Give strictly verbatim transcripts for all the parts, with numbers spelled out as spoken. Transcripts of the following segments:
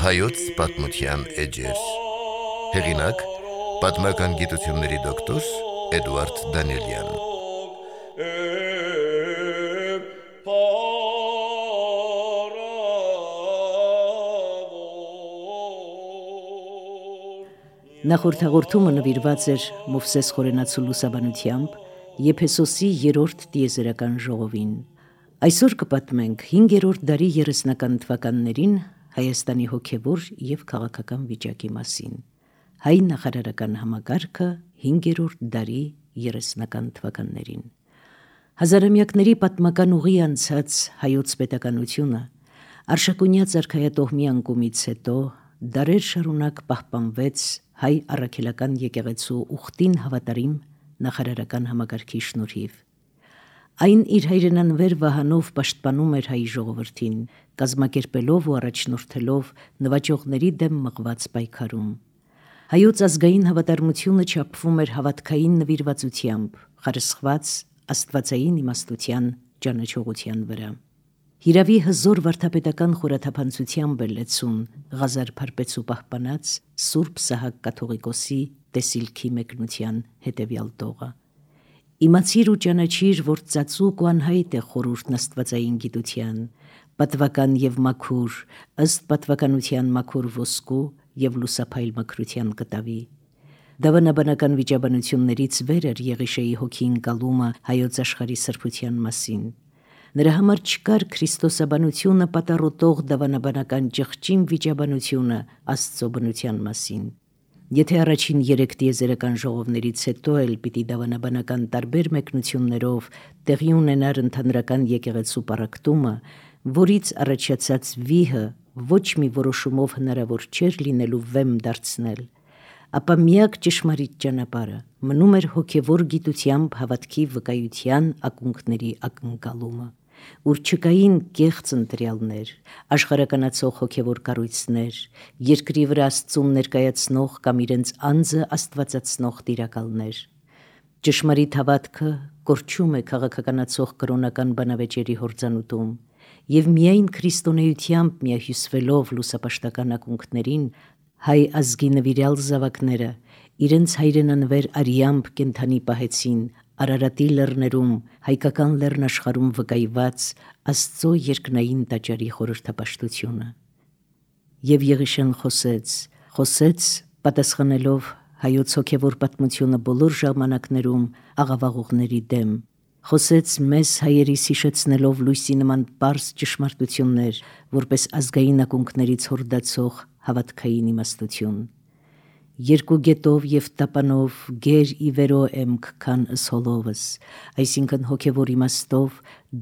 Հայոց պատմության էջեր։ Հեղինակ՝ պատմական գիտությունների դոկտոր Էդուարդ Դանիելյան։ Նախորդ հաղորդումը նվիրված էր Մովսես Խորենացու լուսաբանությամբ Եփեսոսի երրորդ տիեզերական ժողովին։ Այսօր կպատմենք հինգերորդ դարի երեսնական թվականներին Հայաստանի հոգևոր և քաղաքական վիճակի մասին։ Հայ նախարարական համակարգը հինգերորդ դարի երեսնական թվականներին։ Հազարամյակների պատմական ուղի անցած հայոց պետականությունը Արշակունյաց արքայատոհմի անկումից հետո դարեր շարունակ պահպանվեց հայ առաքելական եկեղեցու ուխտին հավատարիմ նախարարական համակարգի շնորհիվ։ Այն իր հայրենանվեր վահանով պաշտպանում էր հայ ժողովրդին, կազմակերպելով ու առաջնորդելով նվաճողների դեմ մղված պայքարում։ Հայոց ազգային հավատարմությունը չափվում էր հավատքային նվիրվածությամբ, խարսխված աստվածային իմաստության ճանաչողության վրա։ Հիրավի հզոր վարդապետական խորաթափանցությամբ է լեցուն Ղազար Փարպեցու պահպանած Սուրբ Սահակ կաթողիկոսի տեսիլքի մեկնության հետևյալ տողը. «Իմացիր ու ճանաչիր, որ ծածուկ ու անհայտ է խորհուրդն աստվածային գիտության, պատվական և մաքուր, ըստ պատվականության մաքուր ոսկու և լուսափայլ մաքրության կտավի»։ Դավանաբանական վիճաբանություններից վեր էր Եղիշեի հոգի ընկալումը հայոց աշխարհի սրբության մասին։ Նրա համար չկար քրիստոսաբանությունը պատառոտող դավանաբանական ճղճին վիճաբանությունը Աստծո բնության մասին։ Եթե առաջին երեք տիեզերական ժողովներից հետո էլ պիտի դավանաբանական տարբեր մեկնություններով տեղի ունենար ընդհանրական եկեղեցու պառակտումը, որից առաջացած վիհը ոչ մի որոշումով հնարավոր չէր լինելու վեմ դարձնել, ապա միակ ճշմարիտ ճանապարհը մնում էր հոգևոր գիտությամբ հավատքի վկայության ակունքների ակնկալումը, ուր չկային կեղծ ընտրյալներ, աշխարհականացող հոգևոր կառույցներ, երկրի վրա Աստծուն ներկայացնող կամ իրենց անձը աստվածացնող տիրակալներ։ Ճշմարիտ հավատքը կորչում է քաղաքականացող կրոնական բանավեճերի հորձանուտում, և միայն քրիստոնեությամբ միահյուսվելով լուսապաշտական ակունքներին հայ ազգի նվիրյալ զավակները իրենց հայրենանվեր արյամբ կենդանի պահեցին Արարատի լեռներում, հայկական լեռնաշխարհում վկայված Աստծո երկնային տաճարի խորհրդապաշտությունը։ Եվ Եղիշեն խոսեց, խոսեց պատասխանելով հայոց հոգևոր պատմությունը բոլոր ժամանակներում աղավաղողների դեմ, խոսեց մեզ հայերիս հիշեցնելով լույսի նման պարզ ճշմարտություններ, որպես ազգային ակունքներից հորդացող հավատքային իմաստություն։ Երկու գետով և տապանով գեր ի վերո եմ կքան ըս հոլովս, այսինքն հոգևոր իմաստով,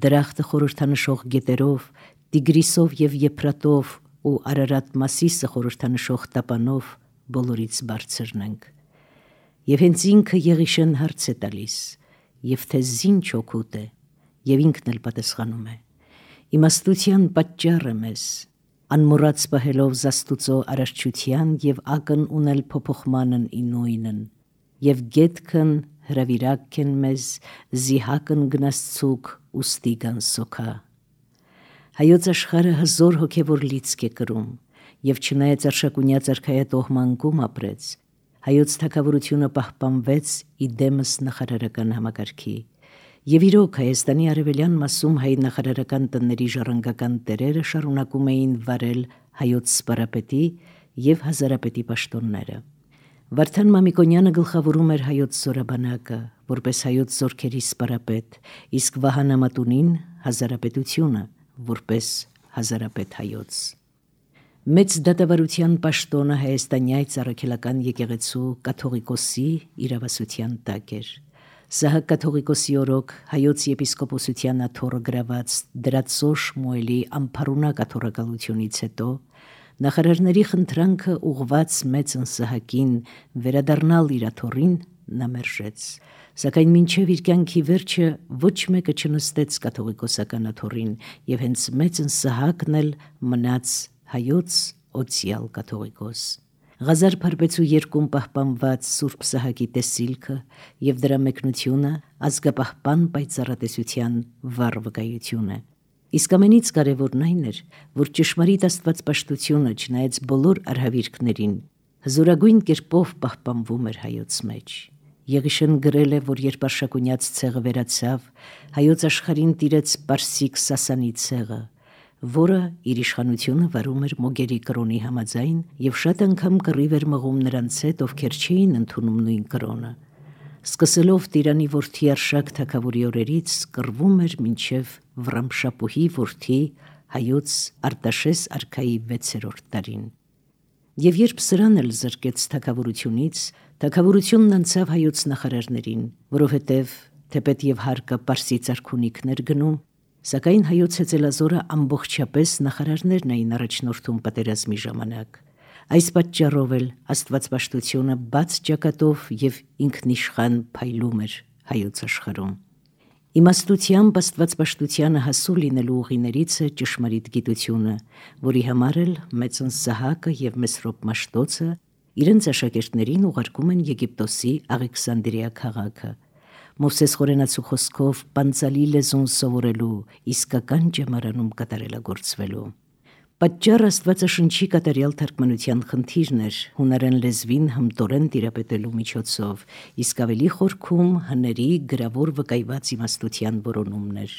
դրախտը խորհրդանշող գետերով, Տիգրիսով և Եփրատով ու Արարատ Մասիսը խորհրդանշող տապանով բոլորից բարձրն ենք։ Եվ հենց ինքը Եղիշեն հարց է տալիս, և թե զինչ օգուտ է, և ինքն էլ պատասխանում է. իմաստության պատճառը մեզ, անմոռաց պահելով Զաստուծո արարչության և ակն ունել փոփոխմանն ի նույնն, և գետքն հրավիրակ են մեզ, զիհակն գնացցուկ ուստի գանսոքա։ Հայոց աշխարհը հզոր հոգևոր լիցք է կրում, և չնայած Արշակունյաց արքայատոհմը անկում ապրեց, հայոց թագավորությունը պահպանվեց ի դեմս նախարարական համակարգի, և իրոք Հայաստանի արևելյան մասում հայ նախարարական տների ժառանգական տերերը շարունակում էին վարել հայոց սպարապետի և հազարապետի պաշտոնները։ Վարդան Մամիկոնյանը գլխավորում էր հայոց զորաբանակը, որպես հայոց զորքերի սպարապետ, իսկ Վահան Ամատունին հազարապետությունը, որպես հազարապետ հայոց։ Մեծ դատավարության պաշտոնը հայաստանյաց առաքելական եկեղեցու կաթողիկոսի իրավասության տակ էր։ Սահակ կաթողիկոսի օրոք հայոց եպիսկոպոսության աթոռը գրաված Դրածո Շմուելի ամփառունակ աթոռակալությունից հետո նախարարների խնդրանքը ուղված մեծն Սահակին վերադառնալ իր աթոռին նա մերժեց, սակայն մինչև իր կյանքի վերջը ոչ մեկը չնստեց կաթողիկոսական աթոռին, և հենց մեծն Սահակն էլ մնաց հայոց օծյալ կաթողիկոս։ Ղազար Փարպեցու երկում պահպանված Սուրբ Սահակի տեսիլքը և դրա մեկնությունը ազգապահպան պայծառատեսության վառ վկայություն է։ Իսկ ամենից կարևորն այն էր, որ ճշմարիտ աստվածպաշտությունը, չնայած բոլոր արհավիրքներին, հզորագույն կերպով պահպանվում էր հայոց մեջ։ Եղիշեն գրել է, որ երբ Արշակունյաց ցեղը վերացավ, հայոց աշխարհին տիրեց Պարսիկ Սասանի ցեղը, որը իր իշխանությունը վարում էր Մոգերի կրոնի համաձայն եւ շատ անգամ կռիվ էր մղում նրանց հետ, ովքեր չէին ընդունում նույն կրոնը։ Սկսելով Տիրանի որդի Արշակ թագավորի օրերից, կռվում էր մինչև Վռամշապուհի որդի հայոց Արտաշես արքայի վեցերորդ տարին։ Եվ երբ սրան էլ զրկեց թագավորությունից, թագավորությունն անցավ հայոց նախարարներին, որովհետև թեպետ եւ հարկը Պարսից արքունիքներ գնում, սակայն հայոց հեծելազորը ամբողջապես նախարարներն էին առաջնորդում պատերազմի ժամանակ։ Այս պատճառով էլ աստվածպաշտությունը բաց ճակատով եւ ինքնիշխան փայլում էր հայոց աշխարհում։ Իմաստությամբ աստվածպաշտությանը հասու լինելու ուղիներից է ճշմարիտ գիտությունը, որի համար էլ Մեծն Սահակը եւ Մեսրոպ Մաշտոցը իրենց աշակերտներին ուղարկում են Եգիպտոսի Աղեքսանդրիա քաղաքը, Մովսես Խորենացու խոսքով պանցալի լեզուն սովորելու, իսկական ճեմարանում կատարելագործվելու։ Պատճառ Աստվածաշնչի կատարյալ թարգմանության խնդիրն էր հունարեն լեզվին հմտորեն տիրապետելու միջոցով, իսկ ավելի խորքում հների գրավոր վկայված իմաստության որոնումն էր։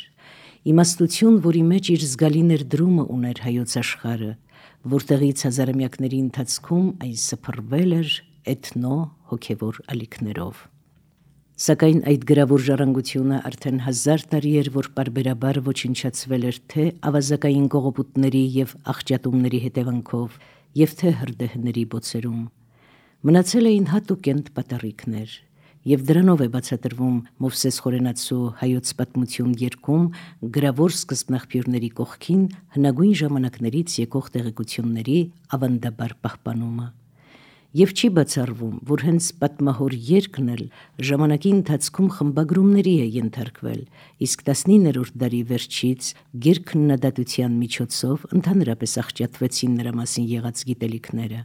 Իմաստություն, որի մեջ իր զգալի ներդրումը ուներ հայոց աշխարհը, որտեղից հազարամյակների ընթացքում այն սփռվել էր էթնո հոգևոր ալիքներով։ Սակայն այդ գրավոր ժառանգությունը արդեն հազար տարի էր, որ պարբերաբար ոչնչացվել էր թե ավազակային կողոպուտների եւ աղճատումների հետևանքով, եւ թե հրդեհների բոցերում։ Մնացել էին հատուկենտ պատառիկներ, եւ դրանով է բացատրվում Մովսես Խորենացու հայոց պատմություն երկում գրավոր սկզբնաղբյուրների կողքին հնագույն ժամանակներից եկող տեղեկությունների ավանդաբար պահպանումը։ Եվ չի բացառվում, որ հենց պատմահոր երգն էլ ժամանակի ընթացքում խմբագրումների է ենթարկվել, իսկ տասնիններորդ դարի վերջից գերքննադատության միջոցով ընդհանրապես աղճատվեցին նրա մասին եղած գիտելիքները։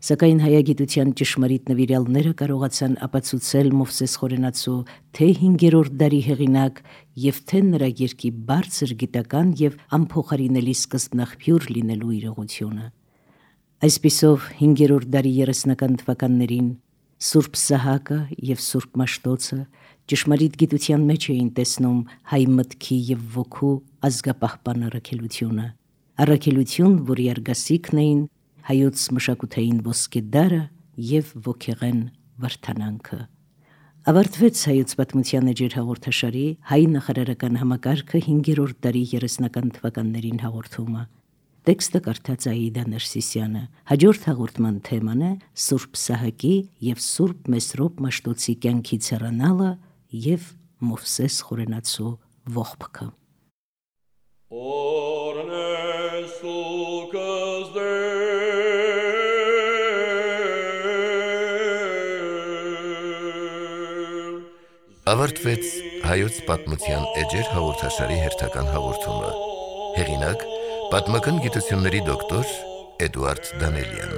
Սակայն հայագիտության ճշմարիտ նվիրյալները կարողացան ապացուցել Մովսես Խորենացու թե հինգերորդ դարի հեղինակ եւ թե նրա երգի բարձր գիտական եւ անփոխարինելի սկզբնաղբյուր լինելու իրողությունը։ Այսպիսով հինգերորդ դարի երեսնական թվականներին Սուրբ Սահակը եւ Սուրբ Մաշտոցը ճշմարիտ գիտության մեջ էին տեսնում հայ մտքի եւ ոգու ազգապահպան առաքելությունը, առաքելություն, որի արգասիքն էին հայոց մշակութային ոսկե դարը եւ ոգեղեն վրթանանքը։ Ավարտվեց հայոց պատմության էջեր հաղորդաշարի հայ նախարարական համակարգը հինգերորդ դարի երեսնական թվականներին հաղորդումը։ Տեքստը կարդաց Աիդա Ներսիսյանը։ Հաջորդ հաղորդման թեման է Սուրբ Սահակի եւ Սուրբ Մեսրոպ Մաշտոցի կյանքից հեռանալը եւ Մովսես Խորենացու ողբքը։ Ավարտվեց հայոց պատմության էջեր հաղորդաշարի հերթական հաղորդումը։ Հեղինակ պատմական գիտությունների դոկտոր Էդուարդ Դանելյան։